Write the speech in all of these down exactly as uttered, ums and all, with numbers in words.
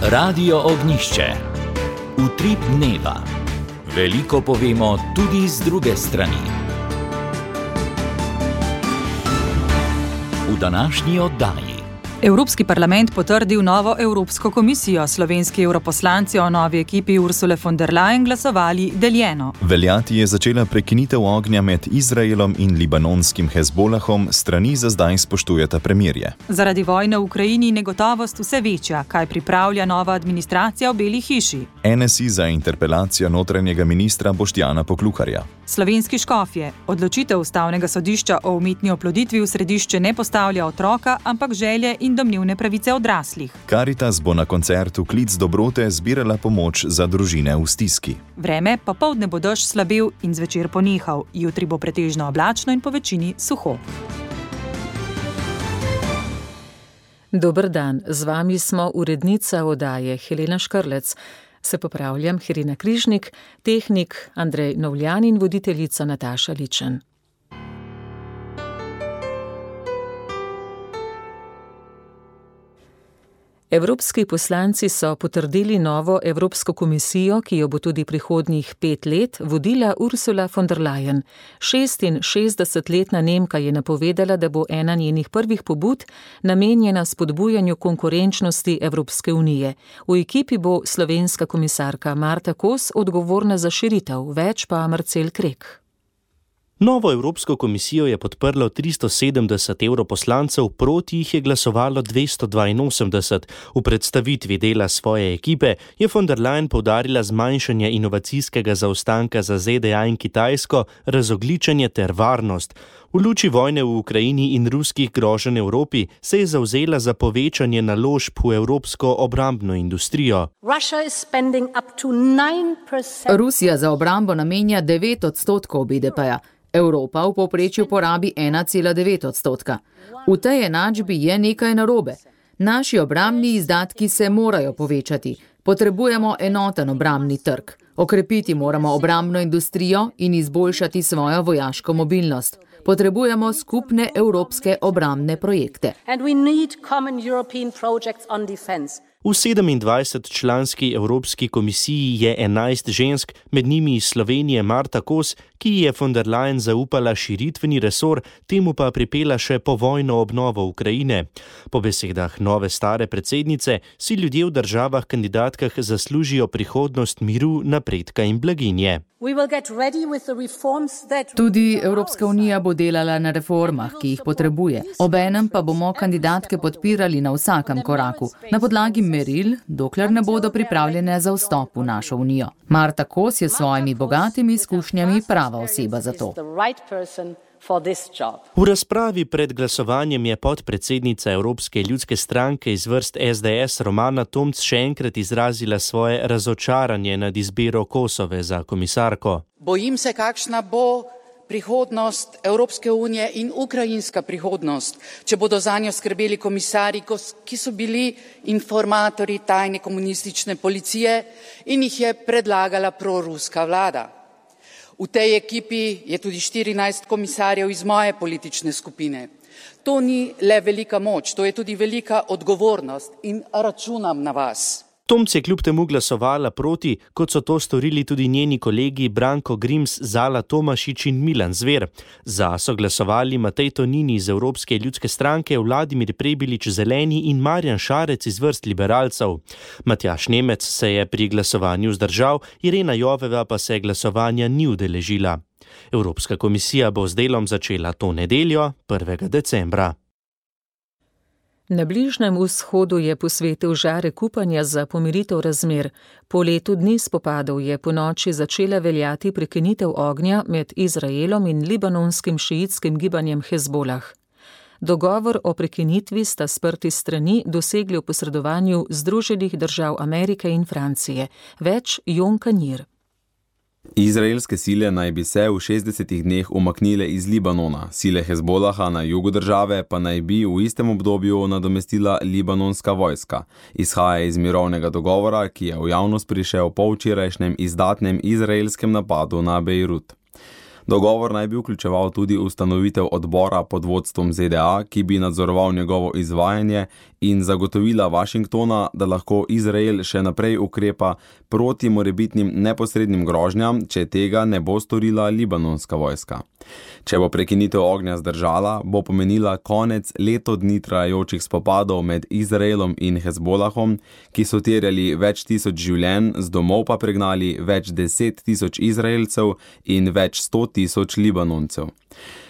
Radio Ognjišče. Utrip dneva. Veliko povemo tudi z druge strani. V današnji oddaji. Evropski parlament potrdil novo Evropsko komisijo. Slovenski europoslanci o novi ekipi Ursule von der Leyen glasovali deljeno. Veljati je začela prekinitev ognja med Izraelom in libanonskim Hezbolahom, strani za zdaj spoštujeta premirje. Zaradi vojne v Ukrajini negotovost vse večja, kaj pripravlja nova administracija v Beli hiši. N S I za interpelacijo notranjega ministra Boštjana Poklukarja. Slovenski škofje. Odločitev ustavnega sodišča o umetni oploditvi v središče ne postavlja otroka, ampak želje in domnevne pravice odraslih. Karitas bo na koncertu Klic dobrote zbirala pomoč za družine v stiski. Vreme, popoldne bo dež slabel in zvečer ponehal. Jutri bo pretežno oblačno in po večini suho. Dober dan, z vami smo urednica oddaje Helena Škrlec. Se popravljam, Irena Križnik, tehnik Andrej Novljan in voditeljica Nataša Ličen. Evropski poslanci so potrdili novo Evropsko komisijo, ki jo bo tudi prihodnjih pet let vodila Ursula von der Leyen. šestinšestdesetletna Nemka je napovedala, da bo ena njenih prvih pobud namenjena spodbujanju konkurenčnosti Evropske unije. V ekipi bo slovenska komisarka Marta Kos odgovorna za širitev, več pa Marcel Krek. Novo Evropsko komisijo je podprlo tristo sedemdeset europoslancev, proti jih je glasovalo dvesto dvainosemdeset. V predstavitvi dela svoje ekipe je von der Leyen poudarila zmanjšanje inovacijskega zaostanka za Z D A in Kitajsko, razogličenje ter varnost. V luči vojne v Ukrajini in ruskih groženj Evropi se je zavzela za povečanje naložb v evropsko obrambno industrijo. Rusija za obrambo namenja devet odstotkov B D P-ja. Evropa v povprečju porabi ena cela devet odstotka. V tej enačbi je nekaj narobe. Naši obrambni izdatki se morajo povečati. Potrebujemo enoten obrambni trg. Okrepiti moramo obrambno industrijo in izboljšati svojo vojaško mobilnost. Potrebujemo skupne evropske obrambne projekte. V sedemindvajsetčlanski Evropski komisiji je enajst žensk, med njimi iz Slovenije Marta Kos, ki je von der Leyen zaupala širitveni resor, temu pa pripela še povojno obnovo Ukrajine. Po besedah nove stare predsednice si ljudje v državah kandidatkah zaslužijo prihodnost miru, napredka in blaginje. Tudi Evropska unija bo delala na reformah, ki jih potrebuje. Obenem pa bomo kandidatke podpirali na vsakem koraku, na podlagi meril, dokler ne bodo pripravljene za vstop v našo unijo. Marta Kos je s svojimi bogatimi izkušnjami prava oseba za to. V razpravi pred glasovanjem je podpredsednica Evropske ljudske stranke iz vrst S D S Romana Tomc še enkrat izrazila svoje razočaranje nad izbiro Kosove za komisarko. Bojim se, kakšna bo prihodnost Evropske unije in ukrajinska prihodnost, če bodo zanjo skrbeli komisarji, ki so bili informatorji tajne komunistične policije in jih je predlagala proruska vlada. V tej ekipi je tudi štirinajst komisarjev iz moje politične skupine. To ni le velika moč, to je tudi velika odgovornost in računam na vas. Tomc je kljub temu glasovala proti, kot so to storili tudi njeni kolegi Branko Grims, Zala Tomašič in Milan Zver. Za so glasovali Matej Tonini iz Evropske ljudske stranke, Vladimir Prebilič Zeleni in Marjan Šarec iz vrst liberalcev. Matjaž Nemec se je pri glasovanju vzdržal, Irena Joveva pa se glasovanja ni udeležila. Evropska komisija bo z delom začela to nedeljo, prvega decembra. Na Bližnjem vzhodu je posvetil žarek upanja za pomiritev razmer. Po letu dni spopadov je ponoči začela veljati prekinitev ognja med Izraelom in libanonskim šiitskim gibanjem Hezbolah. Dogovor o prekinitvi sta sprti strani dosegli v posredovanju Združenih držav Amerike in Francije. Več Jon Kanjir. Izraelske sile naj bi se v šestdesetih dneh umaknile iz Libanona, sile Hezbolaha na jugu države pa naj bi v istem obdobju nadomestila libanonska vojska. Izhaja iz mirovnega dogovora, ki je v javnost prišel po včerajšnjem izdatnem izraelskem napadu na Bejrut. Dogovor naj bi vključeval tudi ustanovitev odbora pod vodstvom Z D A, ki bi nadzoroval njegovo izvajanje in zagotovila Washingtona, da lahko Izrael še naprej ukrepa proti morebitnim neposrednim grožnjam, če tega ne bo storila libanonska vojska. Če bo prekinitev ognja zdržala, bo pomenila konec leto dni trajajočih spopadov med Izraelom in Hezbolahom, ki so terjali več tisoč življenj, z domov pa pregnali več deset tisoč Izraelcev in več sto tisoč Libanoncev.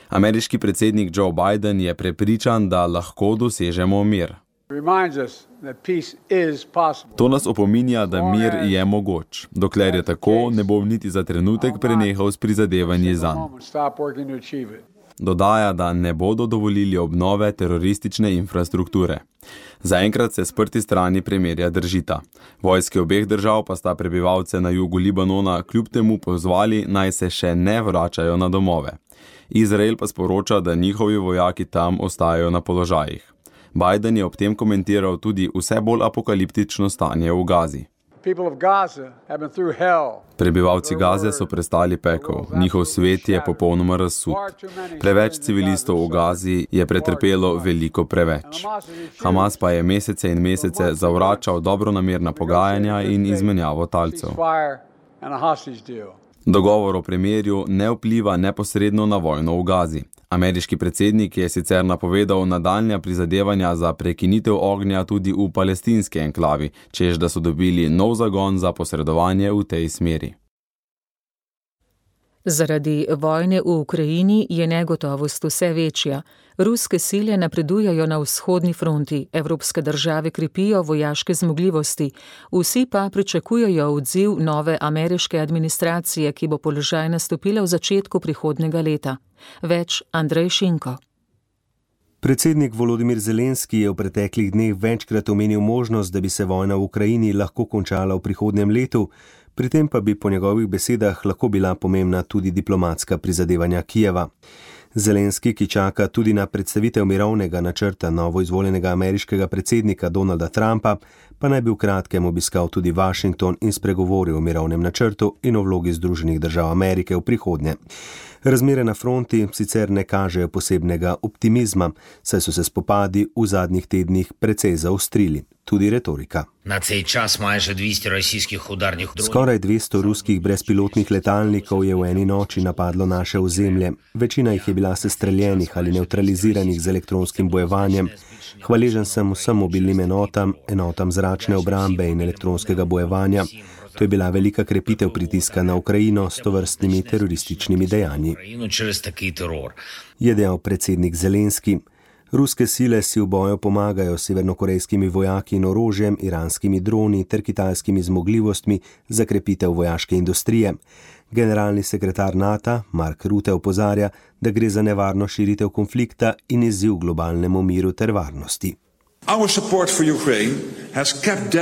Ameriški predsednik Joe Biden je prepričan, da lahko dosežemo mir. To nas opominja, da mir je mogoč. Dokler je tako, ne bom niti za trenutek prenehal s prizadevanji zanj. Dodaja, da ne bodo dovolili obnove teroristične infrastrukture. Zaenkrat se sprti strani premirja držita. Vojske obeh držav pa sta prebivalce na jugu Libanona kljub temu pozvali, naj se še ne vračajo na domove. Izrael pa sporoča, da njihovi vojaki tam ostajajo na položajih. Biden je ob tem komentiral tudi vse bolj apokaliptično stanje v Gazi. Prebivalci Gaze so prestali pekel, njihov svet je popolnoma razsut. Preveč civilistov v Gazi je pretrpelo veliko preveč. Hamas pa je mesece in mesece zavračal dobronamerna pogajanja in izmenjavo talcev. Dogovor o premirju ne vpliva neposredno na vojno v Gazi. Ameriški predsednik je sicer napovedal nadaljnja prizadevanja za prekinitev ognja tudi v palestinski enklavi, češ da so dobili nov zagon za posredovanje v tej smeri. Zaradi vojne v Ukrajini je negotovost vse večja. Ruske sile napredujejo na vzhodni fronti, evropske države krepijo vojaške zmogljivosti, vsi pa pričakujejo odziv nove ameriške administracije, ki bo položaj nastopila v začetku prihodnjega leta. Več Andrej Šinko. Predsednik Volodimir Zelenski je v preteklih dneh večkrat omenil možnost, da bi se vojna v Ukrajini lahko končala v prihodnjem letu, pri tem pa bi po njegovih besedah lahko bila pomembna tudi diplomatska prizadevanja Kijeva. Zelenski, ki čaka tudi na predstavitev mirovnega načrta novoizvoljenega ameriškega predsednika Donalda Trumpa, pa naj bi v kratkem obiskal tudi Washington in spregovoril o mirovnem načrtu in o vlogi Združenih držav Amerike v prihodnje. Razmere na fronti sicer ne kažejo posebnega optimizma, saj so se spopadi v zadnjih tednih precej zaostrili, tudi retorika. Skoraj dvesto ruskih brezpilotnih letalnikov je v eni noči napadlo naše ozemlje. Večina jih je bila sestreljenih ali neutraliziranih z elektronskim bojevanjem. Hvaležen sem vsem mobilnim enotam, enotam zračne obrambe in elektronskega bojevanja. To je bila velika krepitev pritiska na Ukrajino s tovrstnimi terorističnimi dejanji, je dejal predsednik Zelenski. Ruske sile si v boju pomagajo s severnokorejskimi vojaki in orožjem, iranskimi droni ter kitajskimi zmogljivostmi za krepitev vojaške industrije. Generalni sekretar NATO Mark Rutte opozarja, da gre za nevarno širitev konflikta in izziv globalnemu miru ter varnosti.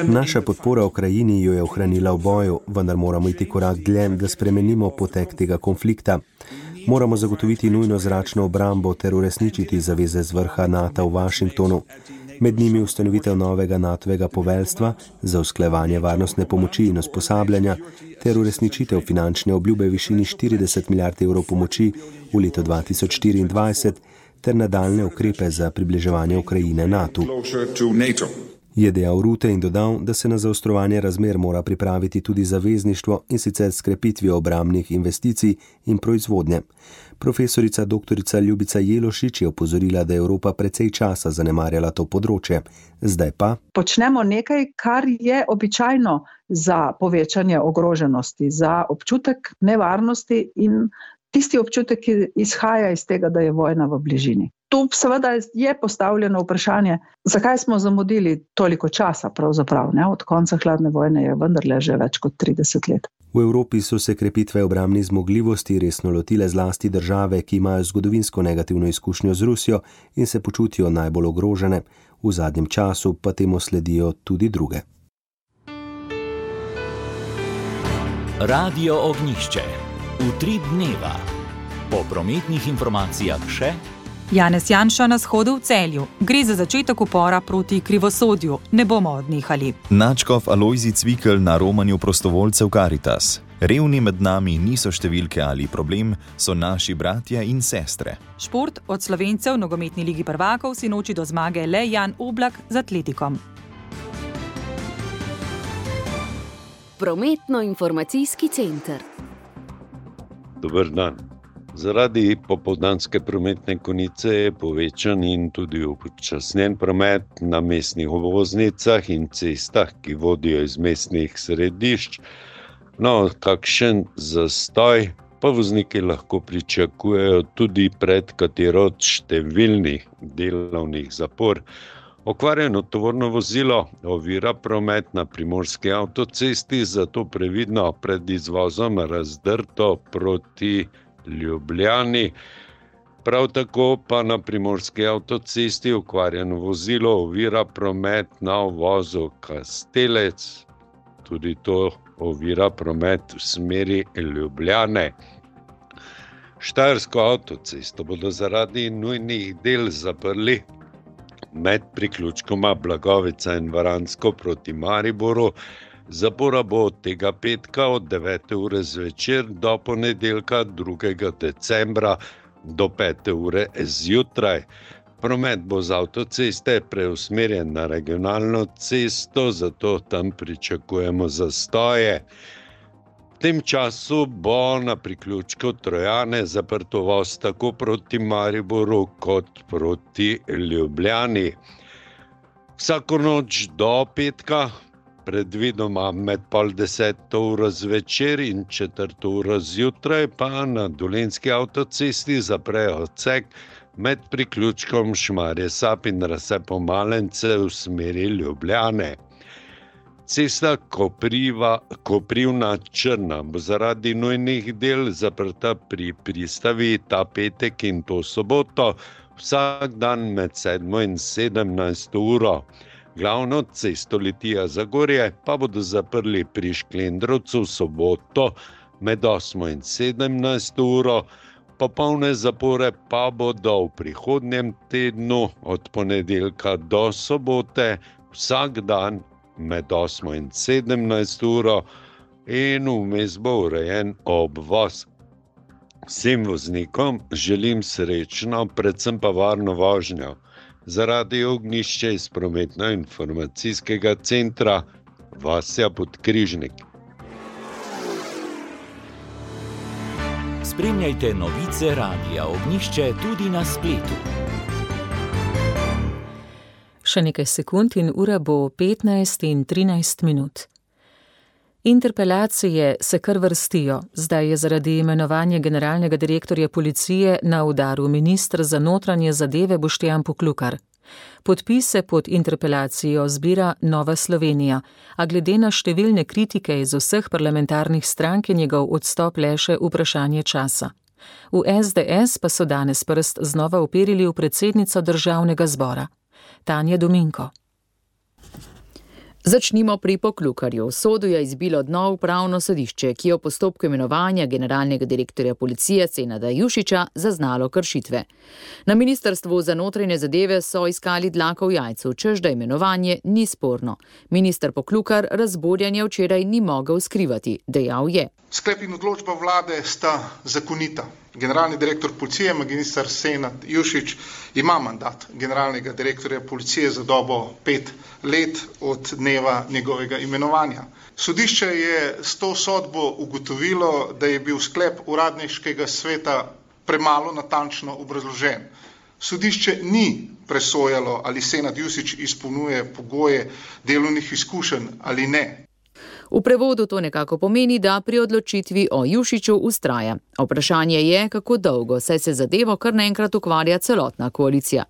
Naša podpora Ukrajini jo je ohranila v boju, vendar moramo iti korak dlje, da spremenimo potek tega konflikta. Moramo zagotoviti nujno zračno obrambo ter uresničiti zaveze z vrha NATO v Washingtonu. Med njimi ustanovitev novega natovega poveljstva za usklajevanje varnostne pomoči in usposabljanja ter uresničitev finančne obljube v višini štirideset milijard evrov pomoči v letu dva tisoč štiriindvajset ter nadaljne ukrepe za približevanje Ukrajine NATO. Je dejal Rutte in dodal, da se na zaostrovanje razmer mora pripraviti tudi zavezništvo in sicer s krepitvijo obrambnih investicij in proizvodnje. Profesorica doktorica Ljubica Jelošič je opozorila, da je Evropa precej časa zanemarjala to področje. Zdaj pa počnemo nekaj, kar je običajno za povečanje ogroženosti, za občutek nevarnosti in tisti občutek, ki izhaja iz tega, da je vojna v bližini. Tu seveda je postavljeno vprašanje, zakaj smo zamudili toliko časa pravzaprav, ne? Od konca hladne vojne je vendarle že več kot trideset let. V Evropi so se krepitve obrambnih zmogljivosti resno lotile zlasti države, ki imajo zgodovinsko negativno izkušnjo z Rusijo in se počutijo najbolj ogrožene. V zadnjem času pa temu sledijo tudi druge. Radio Ognjišče. Utrip dneva. Po prometnih informacijah še Janez Janša na shodu v Celju. Gre za začetek upora proti krivosodju. Ne bomo odnehali. Nadškof Alojzij Cvikl na romanju prostovoljcev Karitas. Revni med nami niso številke ali problem, so naši bratje in sestre. Šport od Slovencev v nogometni ligi prvakov si noči do zmage le Jan Oblak z Atletikom. Prometno-informacijski center. Dober dan. Zaradi popoldanske prometne konice je povečan in tudi upočasnjen promet na mestnih obvoznicah in cestah, ki vodijo iz mestnih središč. No, kakšen zastoj pa vozniki lahko pričakujejo tudi pred katero od številnih delovnih zapor. Okvarjeno tovorno vozilo ovira promet na primorski avtocesti, zato previdno pred izvozom razdrto proti Ljubljani. Prav tako pa na primorski avtocesti okvarjeno vozilo ovira promet na uvozu Kastelec. Tudi to ovira promet v smeri Ljubljane. Štajersko avtocesto bodo zaradi nujnih del zaprli med priključkoma Blagovica in Varansko proti Mariboru. Zapora bo od tega petka od devete ure zvečer do ponedeljka drugega decembra do pete ure zjutraj. Promet bo z avtoceste preusmerjen na regionalno cesto, zato tam pričakujemo zastoje. V tem času bo na priključku Trojane zaprt uvoz tako proti Mariboru kot proti Ljubljani. Vsako noč do petka, predvidoma med pol deseto uro zvečer in četrto uro zjutraj, pa na Dolenjski avtocesti zaprejo odsek med priključkom Šmarje Sap in razcepom Malence v smeri Ljubljane. Cesta Kopriva, Koprivna Črna bo zaradi nujnih del zaprta pri pristavi ta petek in to soboto, vsak dan med sedmo in sedemnajsto uro. Glavno cesto Litija-Zagorje pa bodo zaprli pri Šklendrovcu v soboto med osmo in sedemnajsto uro, popolne zapore pa bodo v prihodnjem tednu od ponedeljka do sobote vsak dan med osmo in sedemnajsto uro in vmes bo urejen obvoz. Vsem voznikom želim srečno, predvsem pa varno vožnjo. Zaradi Ognjišče iz prometno-informacijskega centra Vasja Podkrižnik. Spremljajte novice Radia Ognjišče tudi na spletu. Še nekaj sekund in ura bo petnajst in trinajst minut. Interpelacije se kar vrstijo. Zdaj je zaradi imenovanja generalnega direktorja policije na udaru minister za notranje zadeve Boštjan Poklukar. Podpise pod interpelacijo zbira Nova Slovenija, a glede na številne kritike iz vseh parlamentarnih strank je njegov odstop le še vprašanje časa. V es de es pa so danes prst znova uperili v predsednico državnega zbora. Tanja Dominko. Začnimo pri Poklukarju. Sodu je izbilo dno upravno sodišče, ki je v postopku imenovanja generalnega direktorja policije Senada Jušića zaznalo kršitve. Na ministrstvu za notranje zadeve so iskali dlako v jajcu, češ da imenovanje ni sporno. Minister Poklukar razburjanja včeraj ni mogel skrivati, dejal je. Sklep in odločba vlade sta zakonita. Generalni direktor policije, magister Senad Jušić, ima mandat generalnega direktorja policije za dobo pet let od dneva njegovega imenovanja. Sodišče je s to sodbo ugotovilo, da je bil sklep uradniškega sveta premalo natančno obrazložen. Sodišče ni presojalo, ali Senad Jušić izpolnjuje pogoje delovnih izkušenj ali ne. V prevodu to nekako pomeni, da pri odločitvi o Jušiću ustraja. Vprašanje je, kako dolgo, saj se zadevo kar naenkrat ukvarja celotna koalicija.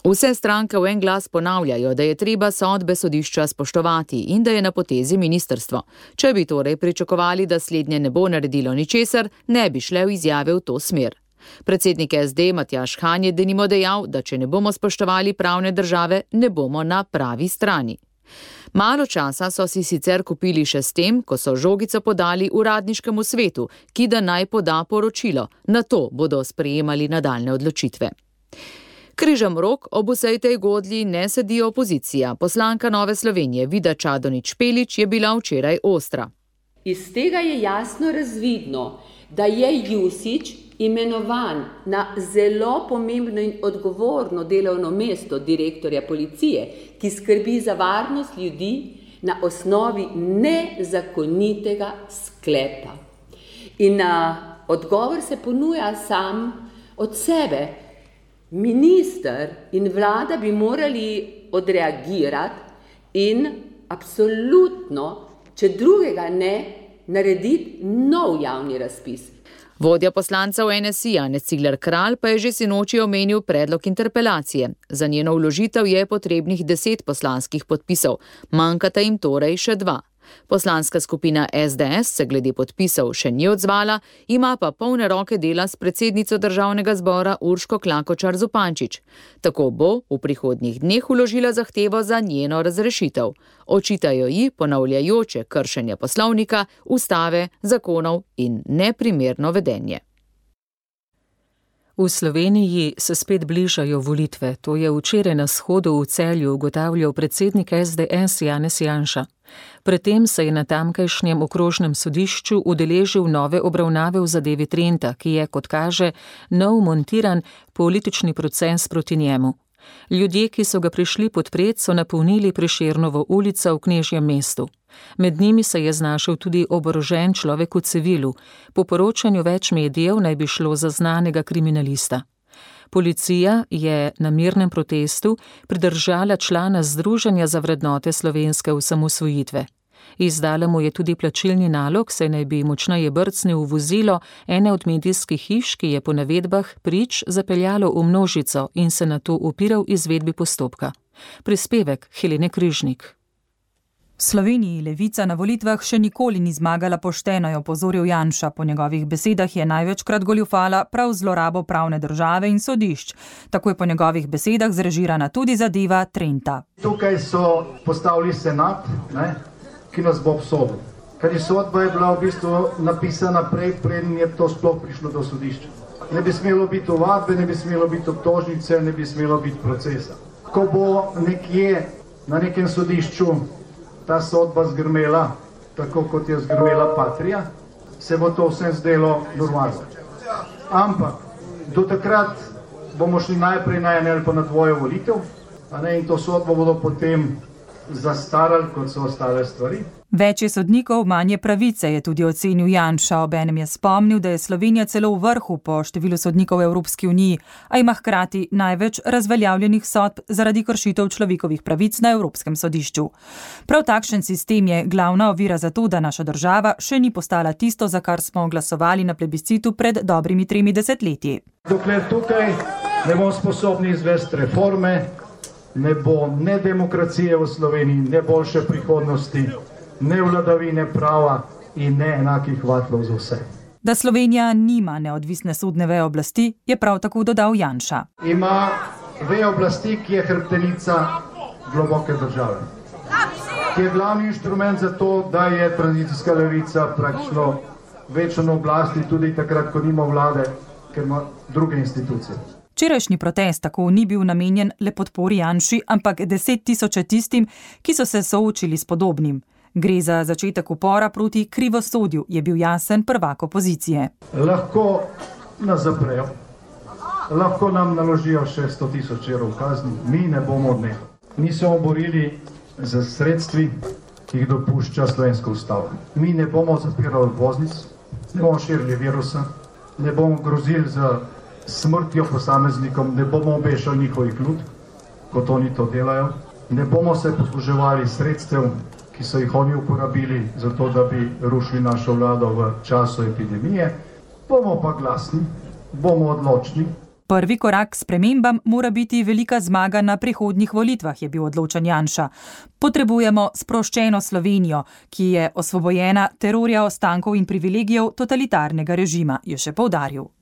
Vse stranke v en glas ponavljajo, da je treba sodbe sodišča spoštovati in da je na potezi ministrstvo. Če bi torej pričakovali, da slednje ne bo naredilo ničesar, ne bi šle v izjave v to smer. Predsednik es de Matjaž Han je denimo dejal, da če ne bomo spoštovali pravne države, ne bomo na pravi strani. Malo časa so si sicer kupili še s tem, ko so žogico podali uradniškemu svetu, ki da naj poda poročilo, nato bodo sprejemali nadaljne odločitve. Križem rok ob vsej tej godlji ne sedi opozicija. Poslanka Nove Slovenije Vida Čadonič Špelič je bila včeraj ostra. Iz tega je jasno razvidno, da je Jušić imenovan na zelo pomembno in odgovorno delovno mesto direktorja policije, ki skrbi za varnost ljudi na osnovi nezakonitega sklepa. In a, odgovor se ponuja sam od sebe. Minister in vlada bi morali odreagirati in absolutno, če drugega ne, narediti nov javni razpis. Vodja poslancev N S I Janez Cigler Kralj pa je že sinoči omenil predlog interpelacije. Za njeno vložitev je potrebnih deset poslanskih podpisov, manjkata jim torej še dva. Poslanska skupina S D S se glede podpisov še ni odzvala, ima pa polne roke dela s predsednico državnega zbora Urško Klakočar Zupančič. Tako bo v prihodnjih dneh vložila zahtevo za njeno razrešitev. Očitajo ji ponavljajoče kršenje poslovnika, ustave, zakonov in neprimerno vedenje. V Sloveniji se spet bližajo volitve. To je včeraj na shodu v Celju ugotavljal predsednik S D S Janez Janša. Predtem se je na tamkajšnjem okrožnem sodišču udeležil nove obravnave v zadevi Trenta, ki je, kot kaže, nov montiran politični proces proti njemu. Ljudje, ki so ga prišli podpret, so napolnili Prešernovo ulico v Knežjem mestu. Med njimi se je znašel tudi oborožen človek v civilu. Po poročanju več medijev naj bi šlo za znanega kriminalista. Policija je na mirnem protestu pridržala člana Združenja za vrednote slovenske osamosvojitve. Izdala mu je tudi plačilni nalog, saj naj bi močneje brcnil v vozilo ene od medijskih hiš, ki je po navedbah prič zapeljalo v množico in se nato upiral izvedbi postopka. Prispevek Helene Križnik. V Sloveniji levica na volitvah še nikoli ni zmagala pošteno, je opozoril Janša. Po njegovih besedah je največkrat goljufala prav zlorabo pravne države in sodišč. Tako je po njegovih besedah zrežirana tudi zadeva Trenta. Tukaj so postavili senat, ne, ki nas bo obsodil. Ker je sodba je bila v bistvu napisana prej, preden je to sploh prišlo do sodišča. Ne bi smelo biti ovadbe, ne bi smelo biti obtožnice, ne bi smelo biti procesa. Ko bo nekje na nekem sodišču ta sodba zgrmela, tako kot je zgrmela Patria, se bo to vsem zdelo normalno. Ampak do takrat bomo šli najprej na ene ali pa na dvoje volitev, a ne, in to sodbo bodo potem zastarali, kot so ostale stvari. Več je sodnikov, manje pravice, je tudi ocenil Janša. Obenem je spomnil, da je Slovenija celo v vrhu po številu sodnikov v Evropski uniji, a ima hkrati največ razveljavljenih sodb zaradi kršitev človekovih pravic na Evropskem sodišču. Prav takšen sistem je glavna ovira za to, da naša država še ni postala tisto, za kar smo glasovali na plebiscitu pred dobrimi tremi desetletji. Dokler tukaj ne bomo sposobni izvesti reforme, ne bo ne demokracije v Sloveniji, ne boljše prihodnosti, ne vladavine prava in ne enakih vatlov za vse. Da Slovenija nima neodvisne sodne veje oblasti, je prav tako dodal Janša. Ima vejo oblasti, ki je hrbtenica globoke države. Ki je glavni inštrument za to, da je tranzicijska levica praktično večno na oblasti tudi takrat, ko nima vlade, ker ima druge institucije. Včerajšnji protest tako ni bil namenjen le podpori Janši, ampak deset tisoče tistim, ki so se soočili s podobnim. Gre za začetek upora proti krivosodju, je bil jasen prvak opozicije. Lahko nas zaprejo, lahko nam naložijo še sto tisoč evrov kazni, mi ne bomo odnehali. Mi se bomo borili za sredstvi, ki jih dopušča slovenska ustava. Mi ne bomo zapirali obvoznic, ne bomo širili virusa, ne bomo grozili za smrtjo posameznikom, ne bomo obešali njihovih lutk, kot oni to delajo, ne bomo se posluževali sredstev, ki so jih oni uporabili za to, da bi rušili našo vlado v času epidemije, bomo pa glasni, bomo odločni. Prvi korak k spremembam mora biti velika zmaga na prihodnjih volitvah, je bil odločen Janša. Potrebujemo sproščeno Slovenijo, ki je osvobojena terorja ostankov in privilegijev totalitarnega režima, je še poudaril.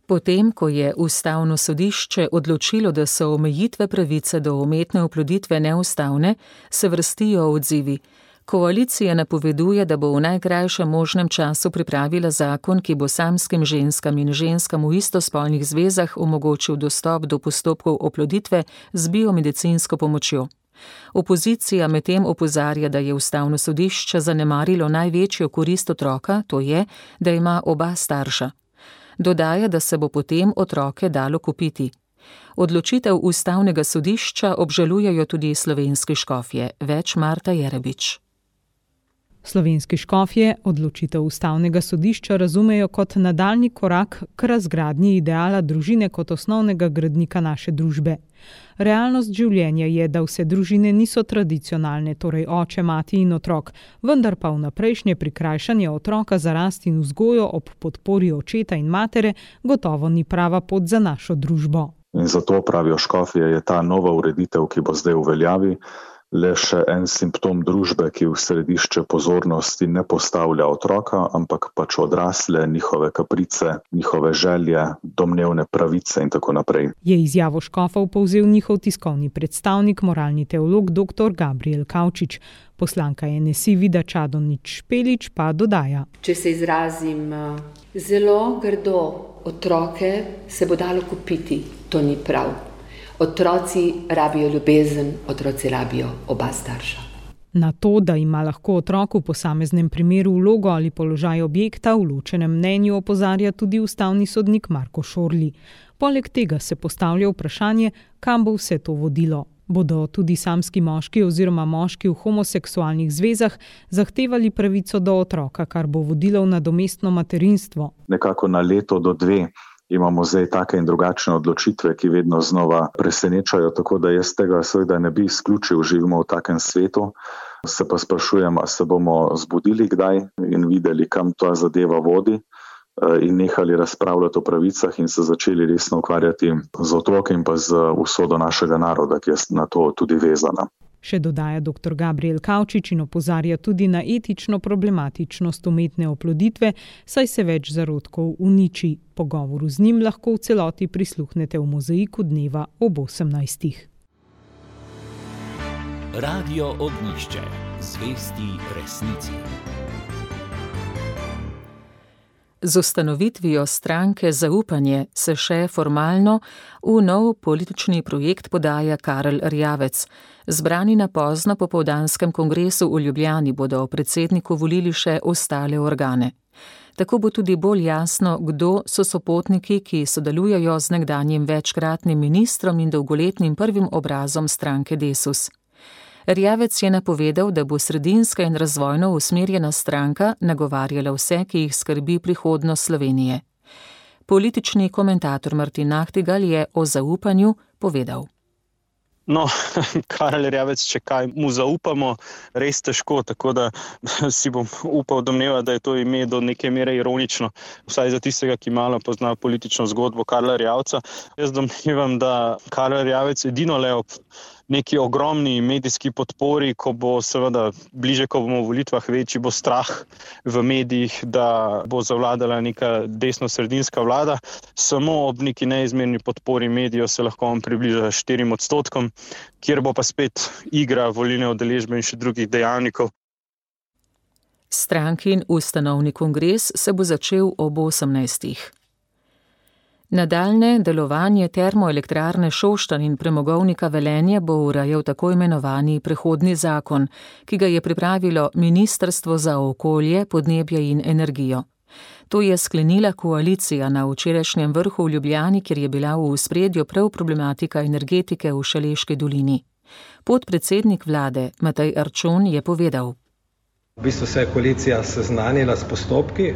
Potem, ko je ustavno sodišče odločilo, da so omejitve pravice do umetne oploditve neustavne, se vrstijo odzivi. Koalicija napoveduje, da bo v najkrajšem možnem času pripravila zakon, ki bo samskim ženskam in ženskam v istospolnih zvezah omogočil dostop do postopkov oploditve z biomedicinsko pomočjo. Opozicija medtem opozarja, da je ustavno sodišče zanemarilo največjo korist otroka, to je, da ima oba starša. Dodaja, da se bo potem otroke dalo kupiti. Odločitev ustavnega sodišča obžalujejo tudi slovenski škofje, več Marta Jerebič. Slovenski škofje odločitev ustavnega sodišča razumejo kot nadaljnji korak k razgradnji ideala družine kot osnovnega gradnika naše družbe. Realnost življenja je, da vse družine niso tradicionalne, torej oče, mati in otrok, vendar pa vnaprejšnje prikrajšanje otroka za rast in vzgojo ob podpori očeta in matere gotovo ni prava pot za našo družbo. In zato pravijo škofje, je ta nova ureditev, ki bo zdaj v veljavi, le še en simptom družbe, ki v središče pozornosti ne postavlja otroka, ampak pač odrasle, njihove kaprice, njihove želje, domnevne pravice in tako naprej. Je izjavo škofov povzel njihov tiskovni predstavnik, moralni teolog dr. Gabriel Kavčič. Poslanka N S I Vida Čadonič Špelič pa dodaja. Če se izrazim zelo grdo, otroke se bo dalo kupiti, to ni prav. Otroci rabijo ljubezen, otroci rabijo oba starša. Na to, da ima lahko otrok v posameznem primeru vlogo ali položaj objekta, v ločenem mnenju opozarja tudi ustavni sodnik Marko Šorli. Poleg tega se postavlja vprašanje, kam bo vse to vodilo. Bodo tudi samski moški oziroma moški v homoseksualnih zvezah zahtevali pravico do otroka, kar bo vodilo v nadomestno materinstvo? Nekako na leto do dve imamo zdaj take in drugačne odločitve, ki vedno znova presenečajo, tako da jaz tega seveda ne bi izključil, živimo v takem svetu. Se pa sprašujem, a se bomo zbudili kdaj in videli, kam ta zadeva vodi in nehali razpravljati o pravicah in se začeli resno ukvarjati z otroki in pa z usodo našega naroda, ki je na to tudi vezana. Še dodaja dr. Gabriel Kavčič in opozarja tudi na etično problematičnost umetne oploditve, saj se več zarodkov uniči. Pogovoru z njim lahko v celoti prisluhnete v mozaiku dneva ob osemnajstih. Radio Ognjišče, zvesti resnici. Z ustanovitvijo stranke Zaupanje se še formalno v nov politični projekt podaja Karel Erjavec. Zbrani na pozno popoldanskem kongresu v Ljubljani bodo predsedniku volili še ostale organe. Tako bo tudi bolj jasno, kdo so sopotniki, ki sodelujejo z nekdanjim večkratnim ministrom in dolgoletnim prvim obrazom stranke Desus. Erjavec je napovedal, da bo sredinska in razvojno usmerjena stranka nagovarjala vse, ki jih skrbi prihodnost Slovenije. Politični komentator Martin Nahtigal je o zaupanju povedal. No, Karel Erjavec, če kaj mu zaupamo, res težko, tako da si bom upal domnevati, da je to ime do neke mere ironično, vsaj za tistega, ki malo pozna politično zgodbo Karla Erjavca. Jaz domnevam, da Karel Erjavec edino le ob neki ogromni medijski podpori, ko bo seveda bliže, ko bomo v volitvah, večji bo strah v medijih, da bo zavladala neka desno-sredinska vlada. Samo ob neki neizmerni podpori medijev se lahko on približa štirim odstotkom, kjer bo pa spet igra volilne udeležbe in še drugih dejavnikov. Strankin ustanovni kongres se bo začel ob osemnajstih. Nadaljne delovanje termoelektrarne Šoštanj in premogovnika Velenje bo urejal tako imenovani prehodni zakon, ki ga je pripravilo Ministrstvo za okolje, podnebje in energijo. To je sklenila koalicija na včerajšnjem vrhu v Ljubljani, kjer je bila v ospredju prav problematika energetike v Šaleški dolini. Podpredsednik vlade Matej Arčon je povedal. V bistvu se je koalicija seznanila s postopki,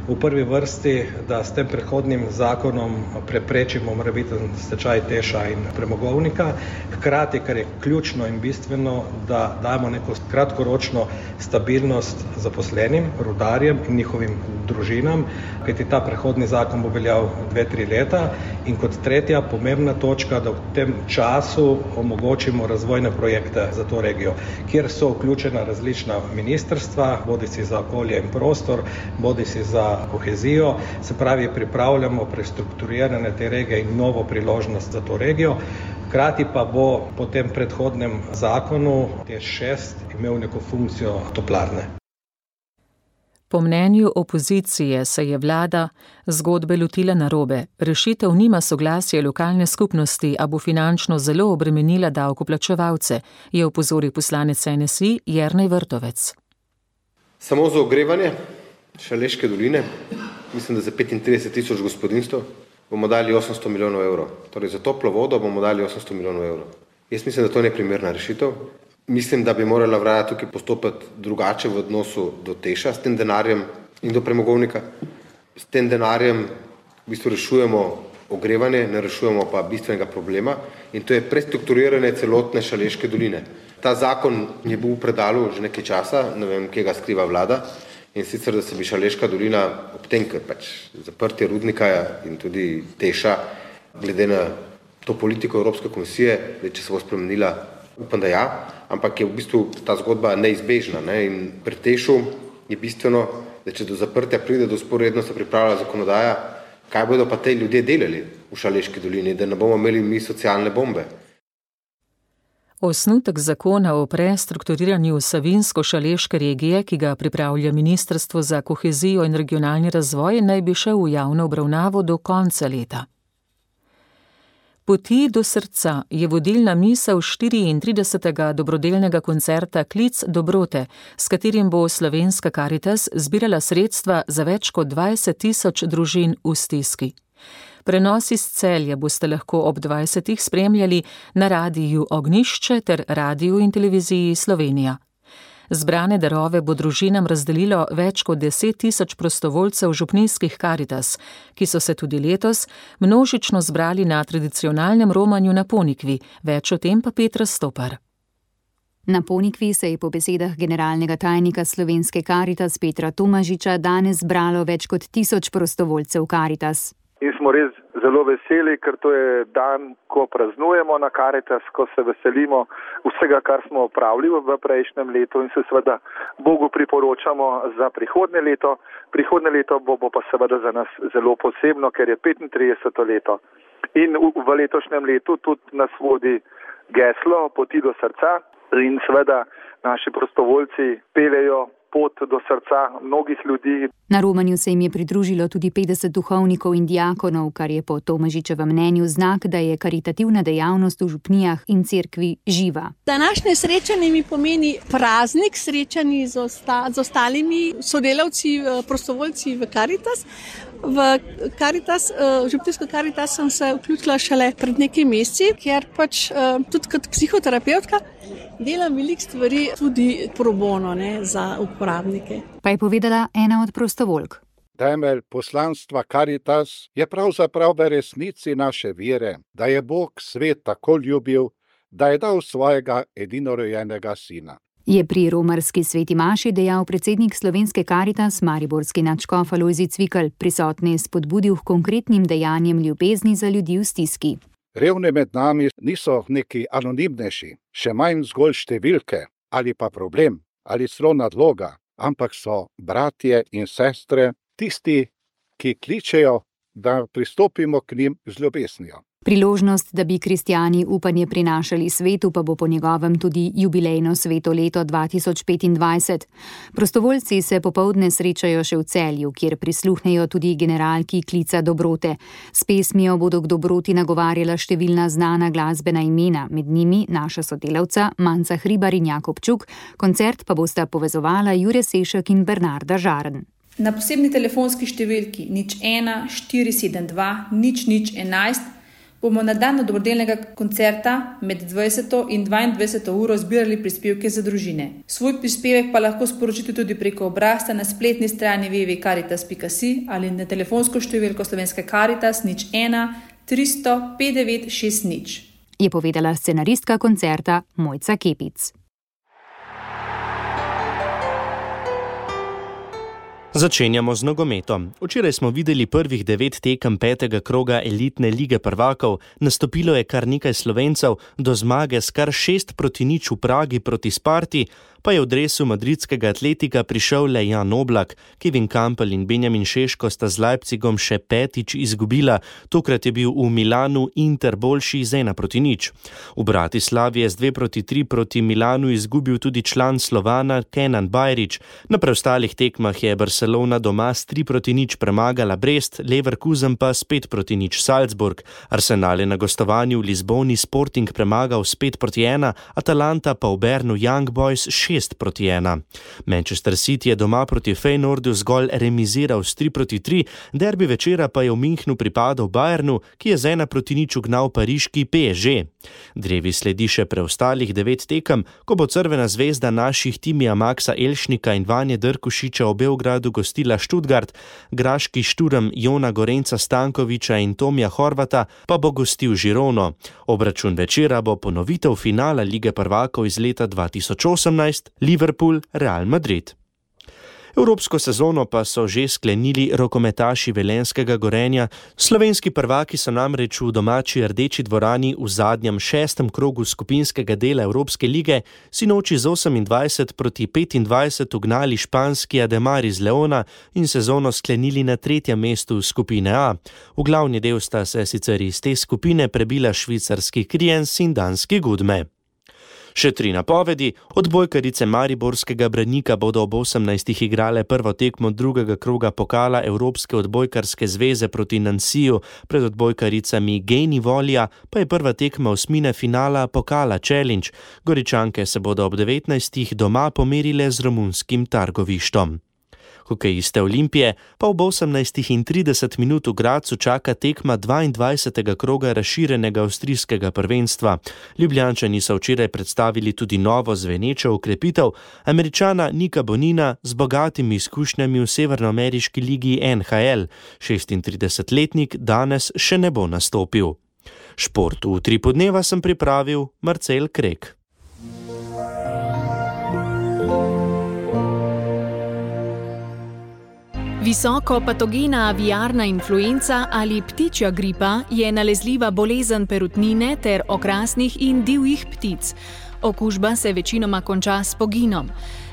v prvi vrsti, da s tem prehodnim zakonom preprečimo morebiten stečaj Teša in premogovnika, hkrati, kar je ključno in bistveno, da damo neko kratkoročno stabilnost zaposlenim, rudarjem in njihovim družinam, kajti ta prehodni zakon bo veljal dve, tri leta in kot tretja pomembna točka, da v tem času omogočimo razvojne projekte za to regijo, kjer so vključena različna ministrstva, bodisi za okolje in prostor, bodisi za kohezijo, se pravi, pripravljamo prestrukturiranje te regije in novo priložnost za to regijo. Hkrati pa bo po tem predhodnem zakonu T E Š šest imel neko funkcijo toplarne. Po mnenju opozicije se je vlada zgodbe lotila narobe. Rešitev nima soglasja lokalne skupnosti, a bo finančno zelo obremenila davkoplačevalce, je opozoril poslanec N S I Jernej Vrtovec. Samo za ogrevanje Šaleške doline, mislim, da za petintrideset tisoč gospodinjstv, bomo dali osemsto milijonov evrov. Torej za toplo vodo bomo dali osemsto milijonov evrov. Jaz mislim, da to ni primerna rešitev. Mislim, da bi morala vlada tukaj postopati drugače v odnosu do Teša s tem denarjem in do premogovnika. S tem denarjem v bistvu rešujemo ogrevanje, ne rešujemo pa bistvenega problema in to je prestrukturiranje celotne Šaleške doline. Ta zakon je bil v predalu že nekaj časa, ne vem, kje ga skriva vlada, in sicer, da se bi Šaleška dolina ob tem, ker pač zaprtje rudnika in tudi Teša, glede na to politiko Evropske komisije, da če se bo spremenila, upam, da ja, ampak je v bistvu ta zgodba neizbežna. Ne? In pri Tešu je bistveno, da če do zaprtja pride, do sporedno se pripravlja zakonodaja, kaj bodo pa te ljudje delali v Šaleški dolini, da ne bomo imeli mi socialne bombe. Osnutek zakona o prestrukturiranju Savinjsko-šaleške regije, ki ga pripravlja Ministrstvo za kohezijo in regionalni razvoj, naj bi šel v javno obravnavo do konca leta. Poti do srca je vodilna misel štiriintridesetega dobrodelnega koncerta Klic dobrote, s katerim bo Slovenska Karitas zbirala sredstva za več kot dvajset tisoč družin v stiski. Prenos iz Celja boste lahko ob dvajsetih spremljali na radiju Ognjišče ter radiju in televiziji Slovenija. Zbrane darove bo družinam razdelilo več kot deset tisoč prostovoljcev župnijskih Karitas, ki so se tudi letos množično zbrali na tradicionalnem romanju na Ponikvi. Več o tem pa Petra Stopar. Na Ponikvi se je po besedah generalnega tajnika Slovenske Karitas Petra Tomažiča danes zbralo več kot tisoč prostovoljcev Karitas. In smo res zelo veseli, ker to je dan, ko praznujemo na Karitas, ko se veselimo vsega, kar smo opravili v prejšnjem letu in se seveda Bogu priporočamo za prihodnje leto. Prihodnje leto bo, bo pa seveda za nas zelo posebno, ker je petintrideseto leto. In v, v letošnjem letu tudi nas vodi geslo Poti do srca in seveda naši prostovoljci peljejo pot do srca mnogih ljudi. Na romanju se jim je pridružilo tudi petdeset duhovnikov in diakonov, kar je po Tomažičevem mnenju znak, da je karitativna dejavnost v župnijah in cerkvi živa. Današnje srečanje mi pomeni praznik srečanji z, osta, z ostalimi sodelavci, prostovoljci v Karitas. V Karitas, v župnijsko Karitas sem se vključila šele pred nekaj meseci, ker pač tudi kot psihoterapeutka delam veliko stvari tudi pro bono, ne, za uporabnike. Pa je povedala ena od prostovoljk. Temelj poslanstva Karitas je pravzaprav v resnici naše vere, da je Bog svet tako ljubil, da je dal svojega edinorojenega sina. Je pri romarski sveti maši dejal predsednik Slovenske Karitas, mariborski nadškof Alojzij Cvikl, prisotne spodbudil k konkretnim dejanjem ljubezni za ljudi v stiski. Revni med nami niso neki anonimnejši, še manj zgolj številke ali pa problem ali celo nadloga, ampak so bratje in sestre, tisti, ki kličejo, da pristopimo k njim z ljubeznijo. Priložnost, da bi kristjani upanje prinašali svetu, pa bo po njegovem tudi jubilejno sveto leto dva tisoč petindvajset. Prostovoljci se popoldne srečajo še v Celju, kjer prisluhnejo tudi generalki Klica dobrote. S pesmijo bodo k dobroti nagovarjala številna znana glasbena imena, med njimi naša sodelavca Manca Hribar in Jakob Čuk, koncert pa bosta povezovala Jure Sešek in Bernarda Žarn. Na posebni telefonski številki nič ena štiri sedem dva nič nič enajst bomo na dan dobrodelnega koncerta med dvajseto in dvaindvajseto uro zbirali prispevke za družine. Svoj prispevek pa lahko sporočite tudi preko obrazca na spletni strani w w w pika karitas pika si ali na telefonsko številko Slovenske Karitas nič ena tristo pet devet šest nič. Je povedala scenaristka koncerta Mojca Kepic. Začenjamo z nogometom. Včeraj smo videli prvih devet tekem petega kroga elitne lige prvakov, nastopilo je kar nekaj Slovencev, do zmage s kar šest proti nič v Pragi proti Sparti, pa je v dresu madridskega Atletika prišel le Jan Oblak. Kevin Kampel in Benjamin Šeško sta z Leipzigom še petič izgubila, tokrat je bil v Milanu Inter boljši z ena proti nič. V Bratislavi je z dve proti tri proti Milanu izgubil tudi član Slovana Kenan Bajrić, na preostalih tekmah je Barcelona Barcelona doma s tri proti nič premagala Brest, Leverkusen pa s pet proti nič Salzburg. Arsenal je na gostovanju v Lizboni Sporting premagal s pet proti ena, Atalanta pa v Bernu Young Boys šest proti ena. Manchester City je doma proti Feyenoordu zgolj remiziral s tri proti tri, derbi večera pa je v Münchnu pripadal Bayernu, ki je z ena proti nič ugnal pariški P S G. Drevi sledi še preostalih devet tekem, ko bo Crvena zvezda naših timija Maxa Elšnika in Vanje Drkušiča v Beogradu gostila Stuttgart, graški Šturm Jona Gorenca Stankoviča in Tomija Horvata pa bo gostil Žirono. Obračun večera bo ponovitev finala Lige prvakov iz leta dva tisoč osemnajst, Liverpool Real Madrid. Evropsko sezono pa so že sklenili rokometaši velenjskega Gorenja. Slovenski prvaki so namreč v domači Rdeči dvorani v zadnjem šestem krogu skupinskega dela Evropske lige sinoči z osemindvajset proti petindvajset ugnali španski Ademar iz Leona in sezono sklenili na tretjem mestu skupine A. V glavni del sta se sicer iz te skupine prebila švicarski Kriens in danski Gudme. Še tri napovedi. Odbojkarice mariborskega Branika bodo ob osemnajstih igrale prvo tekmo drugega kroga pokala Evropske odbojkarske zveze proti Nansiju, pred odbojkaricami Geni Volja pa je prva tekma osmine finala pokala Challenge. Goričanke se bodo ob devetnajstih doma pomerile z romunskim Targovištom. Hokejiste Olimpije pa ob osemnajstih in trideset minut v Gradcu čaka tekma dvaindvajsetega kroga razširjenega avstrijskega prvenstva. Ljubljančani so včeraj predstavili tudi novo zvenečo okrepitev Američana Nika Bonina z bogatimi izkušnjami v severnoameriški ligi N H L. šestintridesetletnik danes še ne bo nastopil. Šport v Utripu dneva sem pripravil Marcel Krek. Visoko patogena aviarna influenca ali ptičja gripa je nalezljiva bolezen perutnine ter okrasnih in divjih ptic. Okužba se večinoma konča s poginom.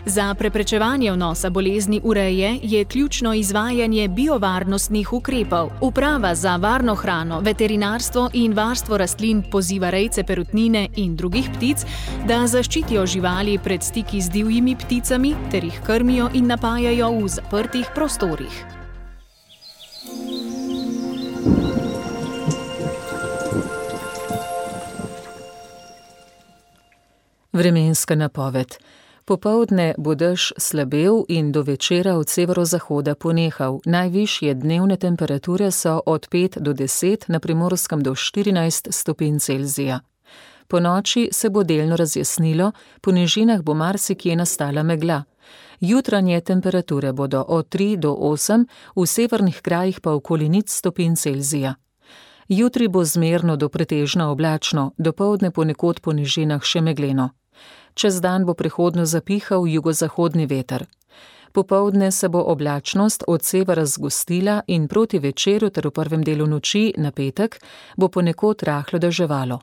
Za preprečevanje vnosa bolezni v reje je ključno izvajanje biovarnostnih ukrepov. Uprava za varno hrano, veterinarstvo in varstvo rastlin poziva rejce perutnine in drugih ptic, da zaščitijo živali pred stiki z divjimi pticami ter jih krmijo in napajajo v zaprtih prostorih. Vremenska napoved. Popoldne bo dež slabel in do večera od severozahoda ponehal. Najvišje dnevne temperature so od pet do deset, na Primorskem do štirinajst stopinj Celzija. Po noči se bo delno razjasnilo, po nižinah bo marsikje nastala megla. Jutranje temperature bodo od tri do osem, v severnih krajih pa okoli nič stopinj Celzija. Jutri bo zmerno do pretežno oblačno, dopoldne ponekod po nižinah še megleno. Čez dan bo prehodno zapihal jugozahodni veter. Popoldne se bo oblačnost od severa zgostila in proti večeru ter v prvem delu noči na petek bo ponekod rahlo deževalo.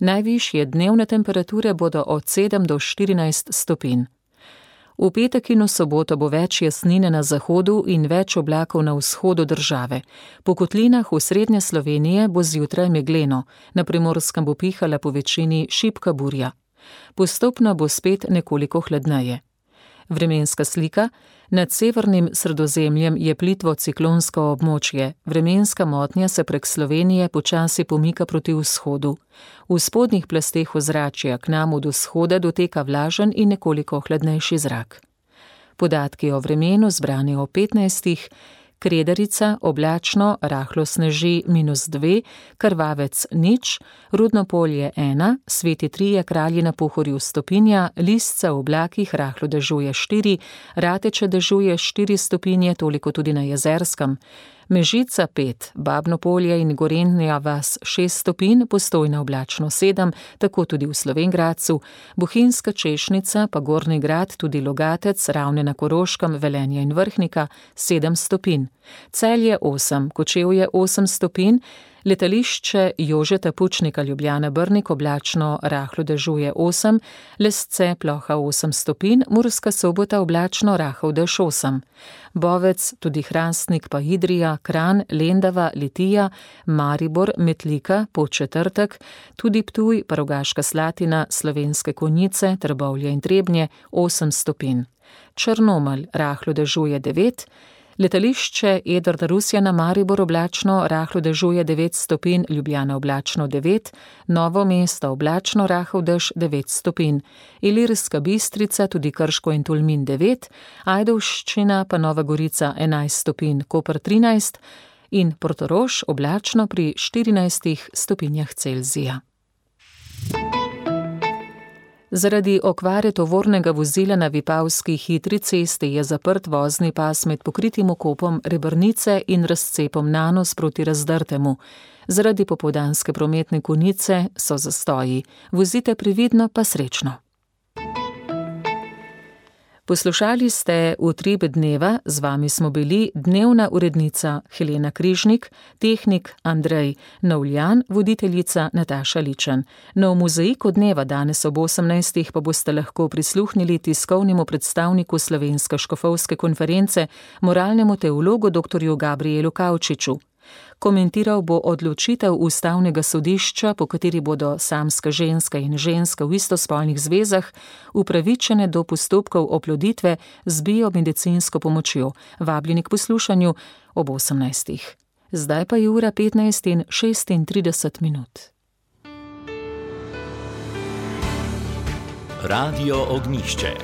Najvišje dnevne temperature bodo od sedem do štirinajst stopinj. V petek in v soboto bo več jasnine na zahodu in več oblakov na vzhodu države. Po kotlinah v srednje Slovenije bo zjutraj megleno, na Primorskem bo pihala po večini šibka burja. Postopno bo spet nekoliko hladneje. Vremenska slika. Nad severnim Sredozemljem je plitvo ciklonsko območje. Vremenska motnja se prek Slovenije počasi pomika proti vzhodu. V spodnjih plasteh ozračja k nam od vzhoda doteka vlažen in nekoliko hladnejši zrak. Podatki o vremenu zbrani o petnajstih. Kredarica, oblačno, rahlo sneži minus dve, Krvavec nič, Rudno polje ena, Sveti Trije Kralji na Pohorju stopinja, Listca v oblakih rahlo dežuje štiri, Rateče dežuje štiri stopinje, toliko tudi na Jezerskem, Mežica pet, Babno polje in Gorenja vas šest stopinj, Postojna oblačno sedem, tako tudi v Slovenj Gradcu, Bohinjska Češnica, pa Gornji Grad, tudi Logatec, Ravne na Koroškem, Velenje in Vrhnika sedem stopinj. Celje osem, Kočevje osem stopinj, letališče Jožeta Pučnika Ljubljana Brnik oblačno rahlo dežuje osem, Lesce ploha osem stopinj, Murska Sobota oblačno rahel dež osem. Bovec, tudi Hrastnik pa Idrija, Kranj, Lendava, Litija, Maribor, Metlika, Podčetrtek, tudi Ptuj, pa Rogaška Slatina, Slovenske Konjice, Trbovlje in Trebnje osem stopinj. Črnomelj rahlo dežuje devet, letališče Edvarda Rusjana Maribor oblačno, rahlo dežuje devet stopinj, Ljubljana oblačno devet, Novo mesto oblačno, rahel dež devet stopinj, Ilirska Bistrica, tudi Krško in Tolmin devet, Ajdovščina pa Nova Gorica enajst stopinj, Koper trinajst in Portorož oblačno pri štirinajstih stopinjah Celzija. Zaradi okvare tovornega vozila na Vipavski hitri cesti je zaprt vozni pas med pokritim okopom Rebrnice in razcepom Nanos proti Razdrtemu. Zaradi popoldanske prometne konice so zastoji. Vozite previdno pa srečno. Poslušali ste Utrip dneva, z vami smo bili dnevna urednica Helena Križnik, tehnik Andrej Novljan, voditeljica Nataša Ličen. Nov mozaik od dneva danes ob osemnajstih pa boste lahko prisluhnili tiskovnemu predstavniku Slovenske škofovske konference, moralnemu teologu doktorju Gabrielu Kavčiču. Komentiral bo odločitev Ustavnega sodišča, po kateri bodo samska ženska in ženska v istospolnih zvezah upravičene do postopkov oploditve z biomedicinsko pomočjo. Vabljeni k poslušanju ob osemnajstih. Zdaj pa je ura petnajst in šestintrideset minut. Radio Ognjišče.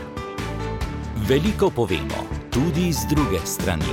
Veliko povemo, tudi z druge strani.